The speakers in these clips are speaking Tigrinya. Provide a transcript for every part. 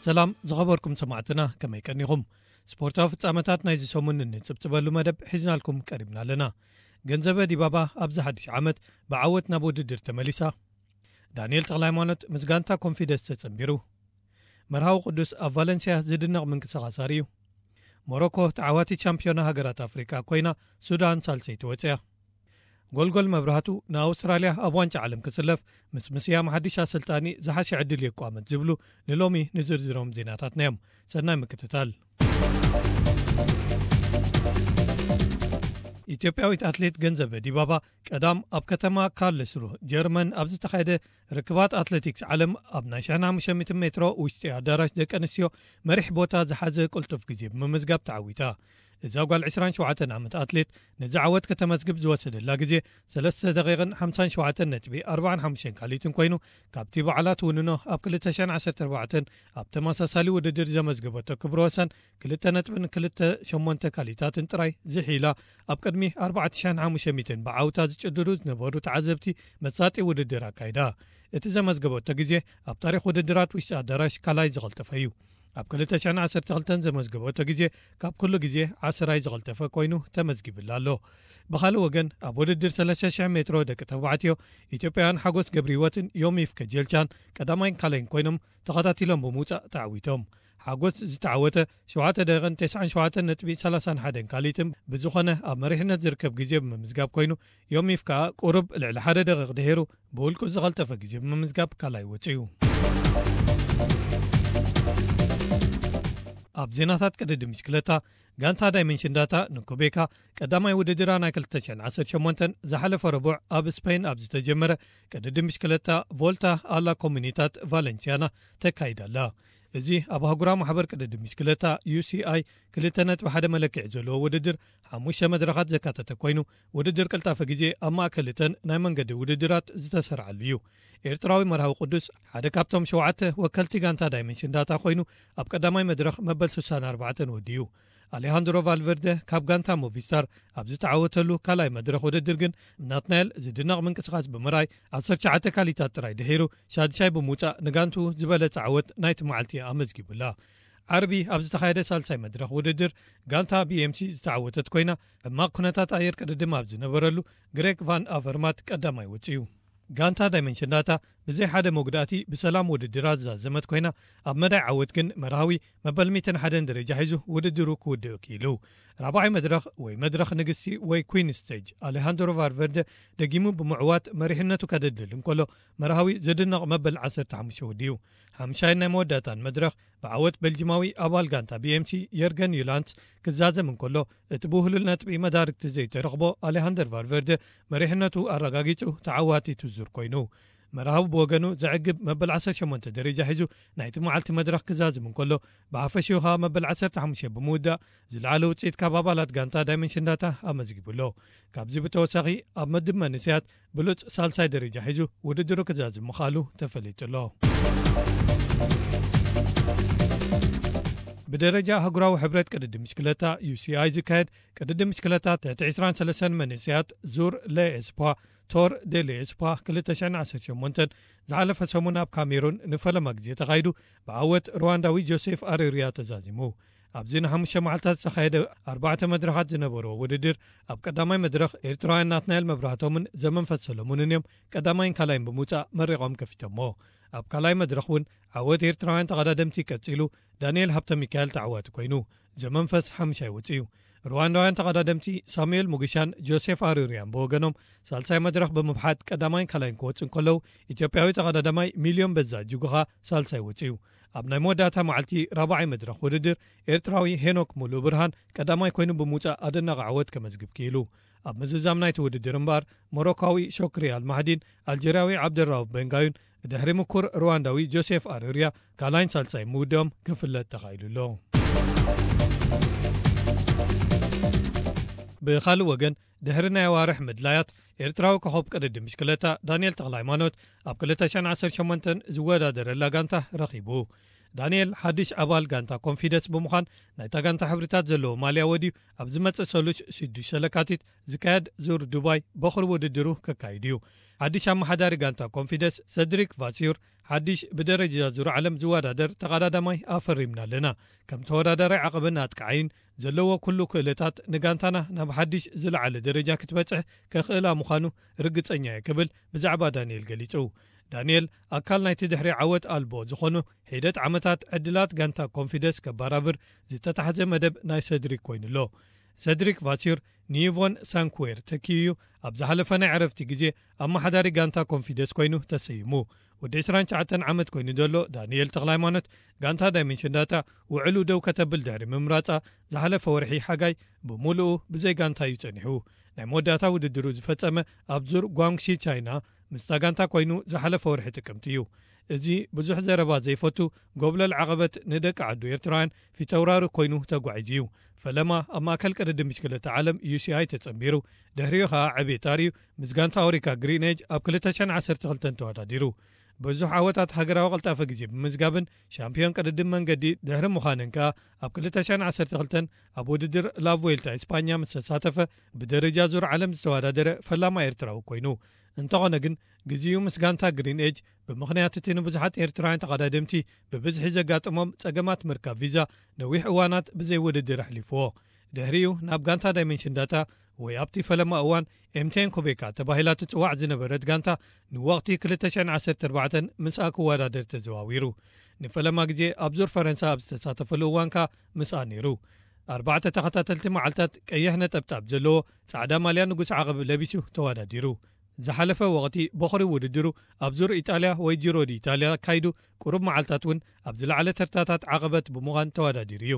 ሰላም ዝኸበርኩም ሰማዕትና፣ ከመይ ቀኒኹም? ስፖርታዊ ፍጻመታት ናይዚ ሰሙን እንጽብጽበሉ መደብ ሒዝናልኩም ቀሪብና ኣለና። ገንዘበ ዲባባ ኣብዚ ሓድሽ ዓመት ብዓወት ናብ ውድድር ተመሊሳ። ዳንኤል ተኽለሃይማኖት ምስ ጋንታ ኮንፊደንስ ተጸንቢሩ። መርሃዊ ቅዱስ ኣብ ቫለንሲያ ዝድነቕ ምንቅስቓስ ኣርእዩ። ሞሮኮ ተዓዋቲት ሻምፒዮና ሃገራት ኣፍሪቃ ኮይና፣ ሱዳን ሳልሰይቲ ወጽያ። ጎልጎል መብራህቱ ንኣውስትራልያ ኣብ ዋንጫ ዓለም ክስለፍ፣ ምስ ምስያም ሓድሽ ኣሰልጣኒ ዝሓሸ ዕድል የቋመት ዝብሉ ንሎሚ ንዝርዝሮም ዜናታትና እዮም። ሰናይ ምክትታል። ኢትዮጵያዊት ኣትሌት ገንዘበ ዲባባ ቀዳም ኣብ ከተማ ካርልስሩ ጀርመን ኣብ ዝተኻየደ ርክባት ኣትሌቲክስ ዓለም ኣብ ናይ ሽሕን ሓሙሽተ ሚእትን ሜትሮ ውሽጢ ኣዳራሽ ደቂ ኣንስትዮ መሪሕ ቦታ ዝሓዘ ቅልጡፍ ግዜ ብምምዝጋብ ተዓዊታ። እዛ ጓል ዕስራን ሸውዓተን ዓመት ኣትሌት ነዚ ዓወት ከተመዝግብ ዝወሰደላ ግዜ ሰለስተ ደቂቕን ሓምሳን ሸውዓተን ነጥቢ ኣርባዓን ሓሙሽተን ካሊትን ኮይኑ፣ ካብቲ ባዕላ ትውንኖ ኣብ ክልተ ሽሕን ዓሰርተ ኣርባዕተን ኣብ ተመሳሳሊ ውድድር ዘመዝገበቶ ክብረ ወሰን ክልተ ነጥብን ክልተ ሸሞንተ ካሊታትን ጥራይ ዝሒላ፣ ኣብ ቅድሚ ኣርባዕተ ሽሕን ሓሙሽተ ሚእትን ብዓውታ ዝጭድሩ ዝነበሩ ተዓዘብቲ መሳጢ ውድድር ኣካይዳ። እቲ ዘመዝገበቶ ግዜ ኣብ ታሪኽ ውድድራት ውሽጢ ኣዳራሽ ካልኣይ ዝቐልጠፈ እዩ። ኣብ ክልተ ሽሕን ዓሰርተ ክልተን ዘመዝገበቶ ግዜ ካብ ኩሉ ግዜ ዓስራይ ዝቐልጠፈ ኮይኑ ተመዝጊብላ ኣሎ። ብኻልእ ወገን፣ ኣብ ውድድር ሰለስተ ሽሕ ሜትሮ ደቂ ተባዕትዮ፣ ኢትዮጵያውያን ሓጎስ ገብረህይወትን ዮሚፍ ከጀልቻን ቀዳማይን ካልኣይን ኮይኖም ተኸታቲሎም ብምውጻእ ተዓዊቶም። ሓጎስ ዝተዓወተ ሸውዓተ ደቂቕን ተስዓን ሸውዓተን ነጥቢ ሰላሳን ሓደን ካሊትን ብዝኾነ ኣብ መሪሕነት ዝርከብ ግዜ ብምምዝጋብ ኮይኑ፣ ዮሚፍ ከኣ ቁሩብ ልዕሊ ሓደ ደቂቕ ድሒሩ ብውልቁ ዝቐልጠፈ ግዜ ብምምዝጋብ ካልኣይ ወጺኡ። ኣብ ዜናታት ቅድድም ብሽክለታ፣ ጋንታ ዳይመንሽን ዳታ ንኩቤካ ቀዳማይ ውድድራ ናይ ክልተ ሽሕን ዓሰርተ ሸሞንተን ዝሓለፈ ረቡዕ ኣብ ስፔን ኣብ ዝተጀመረ ቅድድም ብሽክለታ ቮልታ ኣላ ኮሙኒታት ቫለንሲያና ተካይዳ ኣላ። እዚ ኣብ ኣህጉራዊ ማሕበር ቅድድም ብሽክለታ ዩ ሲ ኣይ ክልተ ነጥቢ ሓደ መለክዒ ዘለዎ ውድድር ሓሙሽተ መድረኻት ዘካተተ ኮይኑ፣ ውድድር ቅልጣፈ ግዜ ኣብ ማእከል እተን ናይ መንገዲ ውድድራት ዝተሰርዓሉ እዩ። ኤርትራዊ መርሃዊ ቅዱስ ሓደ ካብቶም ሸውዓተ ወከልቲ ጋንታ ዳይመንሽን ዳታ ኮይኑ፣ ኣብ ቀዳማይ መድረኽ መበል ስሳን ኣርባዕተን ወዲኡ። ኣሌሃንድሮ ቫልቨርደ ካብ ጋንታ ሞቪስታር ኣብ ዝተዓወተሉ ካልኣይ መድረኽ ውድድር ግን፣ ናትናኤል ዝድነቕ ምንቅስቓስ ብምርኣይ፣ ዓሰርተ ትሽዓተ ካሊታት ጥራይ ድሒሩ ሻድሻይ ብምውጻእ፣ ንጋንቱ ዝበለጸ ዓወት ናይቲ መዓልቲ ኣመዝጊቡላ። ዓርቢ ኣብ ዝተኻየደ ሳልሳይ መድረኽ ውድድር፣ ጋንታ ቢ ኤም ሲ ዝተዓወተት ኮይና፣ ሕማቕ ኩነታት ኣየር ቅድድም ኣብ ዝነበረሉ፣ ግሬግ ቫን ኣቨርማት ቀዳማይ ወጺኡ። ጋንታ ዳይመንሽን ዳታ ብዘይ ሓደ መጉዳእቲ ብሰላም ውድድራ ዝዛዘመት ኮይና፣ ኣብ መዳይ ዓወት ግን መርሃዊ መበል ሚእትን ሓደን ደረጃ ሒዙ ውድድሩ ክውድእ ክኢሉ። ራብዓይ መድረኽ ወይ መድረኽ ንግስቲ ወይ ኩዊን ስቴጅ ኣሌሃንድሮ ቫልቨርደ ደጊሙ ብምዕዋት መሪሕነቱ ከደልድል እንከሎ፣ መርሃዊ ዝድነቕ መበል ዓሰርተ ሓሙሽተ ወዲኡ። ሓምሻይን ናይ መወዳእታን መድረኽ ብዓወት ቤልጂማዊ ኣባል ጋንታ ቢ ኤም ሲ የርገን ዩላንት ክዛዘም እንከሎ፣ እቲ ብውህሉል ነጥቢ መዳርግቲ ዘይተረኽቦ ኣሌሃንደር ቫልቨርደ መሪሕነቱ ኣረጋጊጹ ተዓዋቲቱ ዙር ኮይኑ። መርሃዊ ብወገኑ ዘዕግብ መበል ዓሰርተ ሸሞንተ ደረጃ ሒዙ ናይቲ መዓልቲ መድረኽ ክዛዝም እንከሎ፣ ብሓፈሽኡ ከኣ መበል ዓሰርተ ሓሙሽተ ብምውዳእ ዝለዓለ ውጽኢት ካብ ኣባላት ጋንታ ዳይመንሽን ዳታ ኣመዝጊቡ ኣሎ። ካብዚ ብተወሳኺ ኣብ መድብ መንእሰያት ብሉጽ ሳልሳይ ደረጃ ሒዙ ውድድሩ ክዛዝም ምኽኣሉ ተፈሊጡ ኣሎ። ብደረጃ ኣህጉራዊ ሕብረት ቅድድም ብሽክለታ ዩ ሲ ኣይ ዝካየድ ቅድድም ብሽክለታ ትሕቲ ዕስራን ሰለስተን መንእሰያት ዙር ሌ ኤስፖ፣ ቶር ደ ሌ ኤስፖ ክልተ ሽሕን ዓሰርተ ሸሞንተን ዝሓለፈ ሰሙን ኣብ ካሜሩን ንፈለማ ግዜ ተኻይዱ ብዓወት ሩዋንዳዊ ጆሴፍ ኣሬርያ ተዛዚሙ። ኣብዚ ንሓሙሽተ መዓልታት ዝተኻየደ ኣርባዕተ መድረኻት ዝነበሮ ውድድር፣ ኣብ ቀዳማይ መድረኽ ኤርትራውያን ናትናኤል መብራህቶምን ዘመንፈስ ሰለሙንን እዮም ቀዳማይን ካልኣይን ብምውጻእ መሪቖም ከፊቶሞ። ኣብ ካልኣይ መድረኽ እውን ዓወት ኤርትራውያን ተቐዳደምቲ ቀጺሉ፣ ዳንኤል ሃብተ ሚካኤል ተዓዋቲ ኮይኑ፣ ዘመንፈስ ሓምሻይ ወጺኡ። ሩዋንዳውያን ተቐዳደምቲ ሳሙኤል ሙግሻን ጆሴፍ ኣሩርያን ብወገኖም ሳልሳይ መድረኽ ብምብሓት ቀዳማይን ካልኣይን ክወጽኡ እንከለዉ፣ ኢትዮጵያዊ ተቐዳዳማይ ሚልዮን በዛ ጅጉኻ ሳልሳይ ወጺኡ። ኣብ ናይ መወዳእታ መዓልቲ ራብዓይ መድረኽ ውድድር፣ ኤርትራዊ ሄኖክ ሙሉእ ብርሃን ቀዳማይ ኮይኑ ብምውጻእ ኣደናቂ ዓወት ከመዝግብ ክኢሉ። ኣብ ምዝዛም ናይቲ ውድድር እምበኣር፣ ሞሮካዊ ሾክሪ ኣልማህዲን ኣልጀርያዊ ዓብደራውፍ ቤንጋዩን፣ ድሕሪ ምኩር ሩዋንዳዊ ጆሴፍ ኣሩርያ ካልኣይን ሳልሳይን ምውድኦም ክፍለጥ ተኻኢሉ ኣሎ። ብኻልእ ወገን፣ ድሕሪ ናይ ኣዋርሕ ምድላያት፣ ኤርትራዊ ኮኸብ ቅድድም ብሽክለታ ዳንኤል ተኽለሃይማኖት ኣብ ክልተ ሽሕን ዓሰርተ ሸሞንተን ዝወዳደረላ ጋንታ ረኺቡ። ዳንኤል ሓድሽ ኣባል ጋንታ ኮንፊደንስ ብምዃን ናይታ ጋንታ ሕብርታት ዘለዎ ማልያ ወድዩ ኣብ ዝመጽእ ሰሉስ ሽዱሽተ ለካቲት ዝካየድ ዙር ዱባይ በኹሪ ውድድሩ ከካይድ እዩ። ሓድሽ ኣመሓዳሪ ጋንታ ኮንፊደንስ ሰድሪክ ቫሲዩር ሓድሽ ብደረጃ ዙር ዓለም ዝወዳደር ተቐዳዳማይ ኣፈሪምና ኣለና። ከም ተወዳዳራይ ዓቐብን ኣጥቃዓይን ዘለዎ ኩሉ ክእለታት ንጋንታና ናብ ሓድሽ ዝለዓለ ደረጃ ክትበጽሕ ከኽእላ ምዃኑ ርግጸኛ እየ ክብል ብዛዕባ ዳንኤል ገሊጹ። ዳንኤል ኣካል ናይቲ ድሕሪ ዓወት ኣልቦ ዝኾኑ ሒደት ዓመታት ዕድላት ጋንታ ኮንፊደንስ ከባራብር ዝተታሕዘ መደብ ናይ ሰድሪክ ኮይኑሎ። ሰድሪክ ቫሲር ንይቮን ሳንኩዌር ተኪዩ ኣብ ዝሓለፈ ናይ ዕረፍቲ ግዜ ኣመሓዳሪ ጋንታ ኮንፊደንስ ኮይኑ ተሰይሙ። ወዲ ዕስራን ትሽዓተን ዓመት ኮይኑ ዘሎ ዳንኤል ተኽለሃይማኖት ጋንታ ዳይመንሽን ዳታ ውዕሉ ደው ከተብል ድሕሪ ምምራጻ ዝሓለፈ ወርሒ ሓጋይ ብምሉኡ ብዘይ ጋንታ እዩ ጸኒሑ። ናይ መወዳእታ ውድድሩ ዝፈጸመ ኣብ ዙር ጓንግሺ ቻይና ምስታ ጋንታ ኮይኑ ዝሓለፈ ወርሒ ጥቅምቲ እዩ። እዚ ብዙሕ ዘረባ ዘይፈቱ ጎብለል ዓቐበት ንደቂ ዓዱ ኤርትራውያን ፊተውራሪ ኮይኑ ተጓዒዙ እዩ። ፈለማ ኣብ ማእከል ቅድድም ብሽክለታ ዓለም ዩ ሲ ኣይ ተጸንቢሩ። ድሕሪኡ ኸኣ ዕቤት ኣርእዩ ምስ ጋንታ ኦሪካ ግሪን ኤጅ ኣብ ክልተ ሽሕን ዓሰርተ ክልተን ተወዳዲሩ። ብዙሕ ዓወታት ሃገራዊ ቅልጣፈ ግዜ ብምዝጋብን ሻምፒዮን ቅድድም መንገዲ ድሕሪ ምዃንን ከኣ ኣብ ክልተ ሽሕን ዓሰርተ ክልተን ኣብ ውድድር ላቭዌልታ ኢስፓኛ ምስ ተሳተፈ ብደረጃ ዙር ዓለም ዝተወዳደረ ፈላማ ኤርትራዊ ኮይኑ። እንተኾነ ግን ግዜኡ ምስ ጋንታ ግሪን ኤጅ ብምኽንያት እቲ ንብዙሓት ኤርትራውያን ተቐዳደምቲ ብብዝሒ ዘጋጥሞም ጸገማት ምርካብ ቪዛ ነዊሕ እዋናት ብዘይ ውድድር ኣሕሊፍዎ። ድሕሪኡ ናብ ጋንታ ዳይመንሽን ዳታ ወይ ኣብቲ ፈለማ እዋን ኤምቴን ኮቤካ ተባሂላ ትጽዋዕ ዝነበረት ጋንታ ንወቕቲ ክልተ ሽሕን ዓሰርተ ኣርባዕተን ምስኣ ክወዳደር ተዘዋዊሩ። ንፈለማ ግዜ ኣብ ዙር ፈረንሳ ኣብ ዝተሳተፈሉ እዋን ከኣ ምስኣ ነይሩ። ኣርባዕተ ተኸታተልቲ መዓልታት ቀይሕ ነጠብጣብ ዘለዎ ጻዕዳ ማልያ ንጉስ ዓቐብ ለቢሱ ተወዳዲሩ። ዝሓለፈ ወቕቲ በኹሪ ውድድሩ ኣብ ዙር ኢጣልያ ወይ ጂሮ ዲ ኢጣልያ ኣካይዱ፣ ቁሩብ መዓልታት እውን ኣብ ዝለዓለ ተርታታት ዓቐበት ብምዃን ተወዳዲሩ እዩ።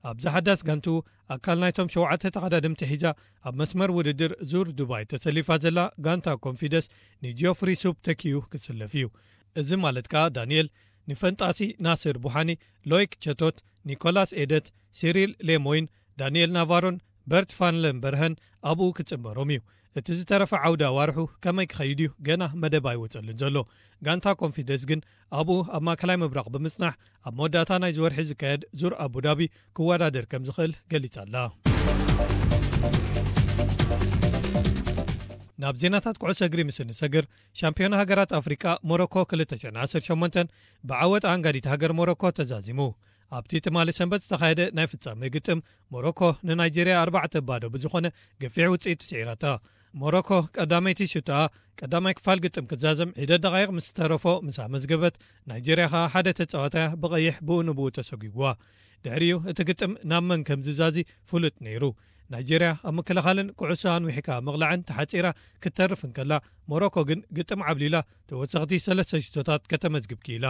ኣብዚ ሓዳስ ጋንትኡ ኣካል ናይቶም ሸውዓተ ተቐዳደምቲ ሒዛ ኣብ መስመር ውድድር ዙር ዱባይ ተሰሊፋ ዘላ ጋንታ ኮንፊደንስ ንጂኦፍሪ ሱፕ ተኪኡ ክስለፍ እዩ። እዚ ማለት ከኣ ዳንኤል ንፈንጣሲ ናስር ቡሓኒ፣ ሎይክ ቸቶት፣ ኒኮላስ ኤደት፣ ሲሪል ሌሞይን፣ ዳንኤል ናቫሮን በርት ፋንለንበርሀን ኣብኡ ክጽንበሮም እዩ። እቲ ዝተረፈ ዓውዲ ኣዋርሑ ከመይ ክኸይድ እዩ ገና መደብ ኣይወጸሉን ዘሎ። ጋንታ ኮንፊደንስ ግን ኣብኡ ኣብ ማእከላይ ምብራቕ ብምጽናሕ ኣብ መወዳእታ ናይዚ ወርሒ ዝካየድ ዙር ኣቡዳቢ ክወዳደር ከም ዝኽእል ገሊጻ ኣላ። ናብ ዜናታት ኩዕሶ እግሪ ምስ እንሰግር፣ ሻምፒዮን ሃገራት ኣፍሪቃ ሞሮኮ ክልተ ሽሕን ዓሰርተ ሸሞንተን ብዓወት ኣንጋዲት ሃገር ሞሮኮ ተዛዚሙ። ኣብቲ ትማሊ ሰንበት ዝተኻየደ ናይ ፍጻሜ ግጥም ሞሮኮ ንናይጄርያ ኣርባዕተ ባዶ ብዝኾነ ገፊሕ ውጽኢት ስዒራታ። ሞሮኮ ቀዳመይቲ ሽቶኣ ቀዳማይ ክፋል ግጥም ክዛዘም ሒደት ደቓይቕ ምስ ዝተረፎ ምስ ኣመዝገበት፣ ናይጄርያ ኸኣ ሓደ ተጻዋታያ ብቐይሕ ብኡ ንብኡ ተሰጒግዋ። ድሕሪኡ እቲ ግጥም ናብ መን ከም ዝዛዚ ፍሉጥ ነይሩ። ናይጄርያ ኣብ ምክልኻልን ኩዕሶ ኣንዊሕካ ምቕላዕን ተሓጺራ ክትተርፍ እንከላ፣ ሞሮኮ ግን ግጥም ዓብሊላ ተወሰኽቲ ሰለስተ ሽቶታት ከተመዝግብ ክኢላ።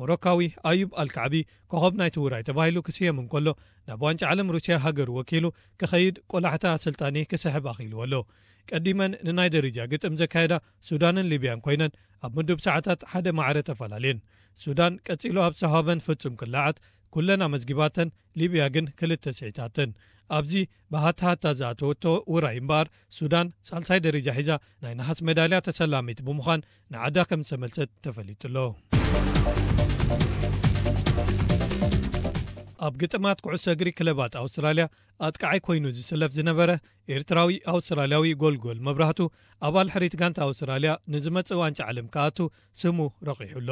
ሞሮካዊ ኣዩብ ኣልካዕቢ ኮኸብ ናይቲ ውራይ ተባሂሉ ክስየም እንከሎ፣ ናብ ዋንጫ ዓለም ሩስያ ሃገሩ ወኪሉ ክኸይድ ቆላሕታ ኣሰልጣኒ ክስሕብ ኣኽኢልዎ ኣሎ። ቀዲመን ንናይ ደረጃ ግጥም ዘካየዳ ሱዳንን ሊብያን ኮይነን ኣብ ምዱብ ሰዓታት ሓደ ማዕረ ተፈላለየን። ሱዳን ቀጺሉ ኣብ ዝተዋህበን ፍጹም ክለዓት ኩለን ኣመዝጊባተን፣ ሊብያ ግን ክልተ ስዒታተን። ኣብዚ ብሃታሃታ ዝኣተወቶ ውራይ እምበኣር፣ ሱዳን ሳልሳይ ደረጃ ሒዛ ናይ ነሃስ ሜዳልያ ተሰላሚት ብምዃን ንዓዳ ከም ዝተመልሰት ተፈሊጡ ኣሎ። ኣብ ግጥማት ኩዕሶ እግሪ ክለባት ኣውስትራልያ ኣጥቃዓይ ኮይኑ ዝስለፍ ዝነበረ ኤርትራዊ ኣውስትራልያዊ ጎልጎል መብራህቱ፣ ኣባል ሕሪት ጋንታ ኣውስትራልያ ንዝመጽእ ዋንጫ ዓለም ክኣቱ ስሙ ረቒሑ ኣሎ።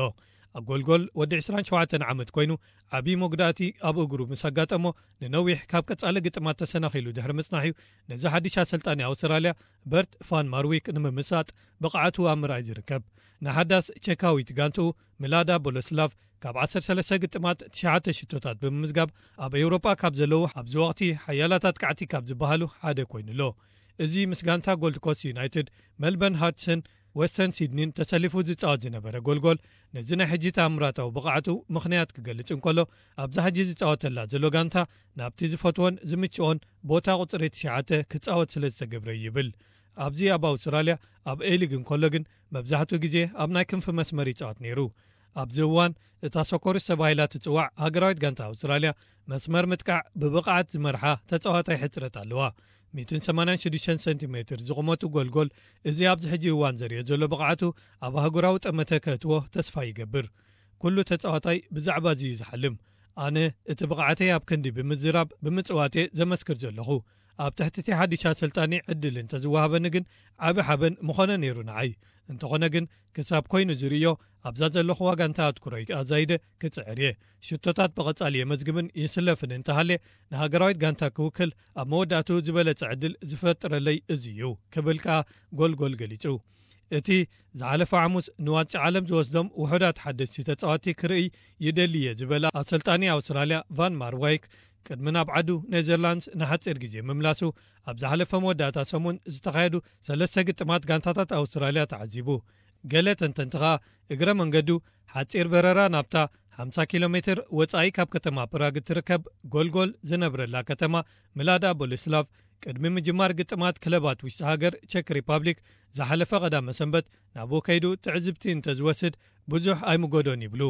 ኣጎልጎል ወዲ ዕስራን ሸውዓተን ዓመት ኮይኑ፣ ዓቢ መጉዳእቲ ኣብ እግሩ ምስ ኣጋጠሞ፣ ንነዊሕ ካብ ቀጻሊ ግጥማት ተሰናኺሉ ድሕሪ ምጽናሕ'ዩ ነዚ ሓድሽ ኣሰልጣኒ ኣውስትራልያ በርት ፋን ማርዊክ ንምምሳጥ ብቕዓቱ ኣብ ምርኣይ ዝርከብ። ንሓዳስ ቸካዊት ጋንትኡ ምላዳ ቦለስላቭ ካብ ዓሰርተ ሰለስተ ግጥማት ትሽዓተ ሽቶታት ብምምዝጋብ፣ ኣብ ኤውሮጳ ካብ ዘለዉ ኣብዚ ወቕቲ ሓያላት ኣጥቃዕቲ ካብ ዝበሃሉ ሓደ ኮይኑ ኣሎ። እዚ ምስ ጋንታ ጎልድ ኮስት ዩናይትድ፣ መልበርን ሃርትስን ዌስተርን ሲድኒን ተሰሊፉ ዝጻወት ዝነበረ ጎልጎል፣ ነዚ ናይ ሕጂ ተኣምራታዊ ብቕዓቱ ምኽንያት ክገልጽ እንከሎ፣ ኣብዛ ሕጂ ዝጻወተላ ዘሎ ጋንታ ናብቲ ዝፈትዎን ዝምችኦን ቦታ ቁጽሪ ትሽዓተ ክጻወት ስለ ዝተገብረ ይብል። ኣብዚ ኣብ ኣውስትራልያ ኣብ ኤሊግ እንከሎ ግን መብዛሕትኡ ግዜ ኣብ ናይ ክንፊ መስመር ይጻወት ነይሩ። ኣብዚ እዋን እታ ሶኮሩስ ተባሂላ ትጽዋዕ ሃገራዊት ጋንታ ኣውስትራልያ መስመር ምጥቃዕ ብብቕዓት ዝመርሓ ተጻዋታይ ሕጽረት ኣለዋ። ሚእትን ሰማንያን ሽዱሽተን ሰንቲሜትር ዝቑመቱ ጎልጎል፣ እዚ ኣብዚ ሕጂ እዋን ዘርእዮ ዘሎ ብቕዓቱ ኣብ ኣህጉራዊ ጠመተ ከእትዎ ተስፋ ይገብር። ኩሉ ተጻዋታይ ብዛዕባ እዚ እዩ ዝሓልም። ኣነ እቲ ብቕዓተይ ኣብ ክንዲ ብምዝራብ ብምጽዋቴ ዘመስክር ዘለኹ። ኣብ ትሕቲ እቲ ሓድሽ ኣሰልጣኒ ዕድል እንተዝወሃበኒ ግን ዓቢ ሓበን ምኾነ ነይሩ ንዓይ። እንተኾነ ግን ክሳብ ኮይኑ ዝርእዮ ኣብዛ ዘለኹዋ ጋንታ ኣትኩሮይ ኣዛይደ ክጽዕር እየ። ሽቶታት ብቐጻሊ የመዝግብን ይስለፍን እንተሃልየ ንሃገራዊት ጋንታ ክውክል ኣብ መወዳእትኡ ዝበለጸ ዕድል ዝፈጥረለይ እዚ እዩ ክብል ከኣ ጎልጎል ገሊጹ። እቲ ዝሓለፈ ሓሙስ ንዋንጫ ዓለም ዝወስዶም ውሑዳት ሓደስቲ ተጻወትቲ ክርእይ ይደሊ እየ ዝበለ ኣሰልጣኒ ኣውስትራልያ ቫን ማርዋይክ ቅድሚ ናብ ዓዱ ኔዘርላንድስ ንሓጺር ግዜ ምምላሱ ኣብ ዝሓለፈ መወዳእታ ሰሙን ዝተኻየዱ ሰለስተ ግጥማት ጋንታታት ኣውስትራልያ ተዓዚቡ። ገለ ተንተንቲ ኸኣ እግረ መንገዱ ሓጺር በረራ ናብታ ሓምሳ ኪሎ ሜትር ወጻኢ ካብ ከተማ ፕራግ እትርከብ ጎልጎል ዝነብረላ ከተማ ምላዳ ቦሌስላቭ ቅድሚ ምጅማር ግጥማት ክለባት ውሽጢ ሃገር ቸክ ሪፓብሊክ ዝሓለፈ ቀዳመ ሰንበት ናብኡ ከይዱ ትዕዝብቲ እንተዝወስድ ብዙሕ ኣይምጎዶን ይብሉ።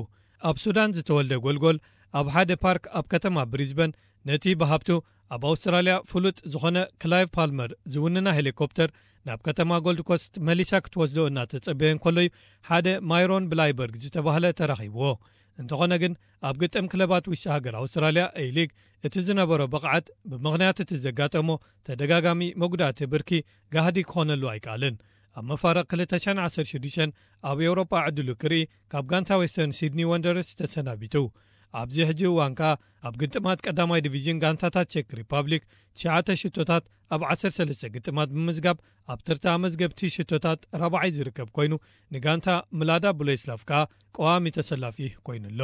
ኣብ ሱዳን ዝተወልደ ጎልጎል ኣብ ሓደ ፓርክ ኣብ ከተማ ብሪዝበን ነቲ ብሃብቱ ኣብ ኣውስትራልያ ፍሉጥ ዝኾነ ክላይቭ ፓልመር ዝውንና ሄሊኮፕተር ናብ ከተማ ጎልድ ኮስት መሊሳ ክትወስዶ እናተጸበየ እንከሎ እዩ ሓደ ማይሮን ብላይበርግ ዝተባህለ ተራኺብዎ። እንተኾነ ግን ኣብ ግጥም ክለባት ውሽጢ ሃገር ኣውስትራልያ ኤይ ሊግ እቲ ዝነበሮ ብቕዓት ብምኽንያት እቲ ዘጋጠሞ ተደጋጋሚ መጉዳእቲ ብርኪ ጋህዲ ክኾነሉ ኣይከኣልን። ኣብ መፋርቕ ክልተ ሽሕን ዓሰርተ ሽዱሽተን ኣብ ኤውሮጳ ዕድሉ ክርኢ ካብ ጋንታ ዌስተርን ሲድኒ ወንደረርስ ተሰናቢቱ። ኣብዚ ሕጂ እዋን ከኣ ኣብ ግጥማት ቀዳማይ ዲቪዥን ጋንታታት ቸክ ሪፓብሊክ ትሽዓተ ሽቶታት ኣብ ዓሰርተ ሰለስተ ግጥማት ብምምዝጋብ ኣብ ተርታ መዝገብቲ ሽቶታት ራብዓይ ዝርከብ ኮይኑ ንጋንታ ምላዳ ብሌስላቭ ከኣ ቀዋሚ ተሰላፊ ኮይኑ ኣሎ።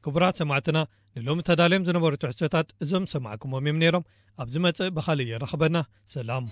ክቡራት ሰማዕትና ንሎሚ ተዳልዮም ዝነበሩ ትሕዝቶታት እዞም ሰማዕኩሞም እዮም ነይሮም። ኣብ ዝመጽእ ብኻልእ የራኽበና። ሰላም።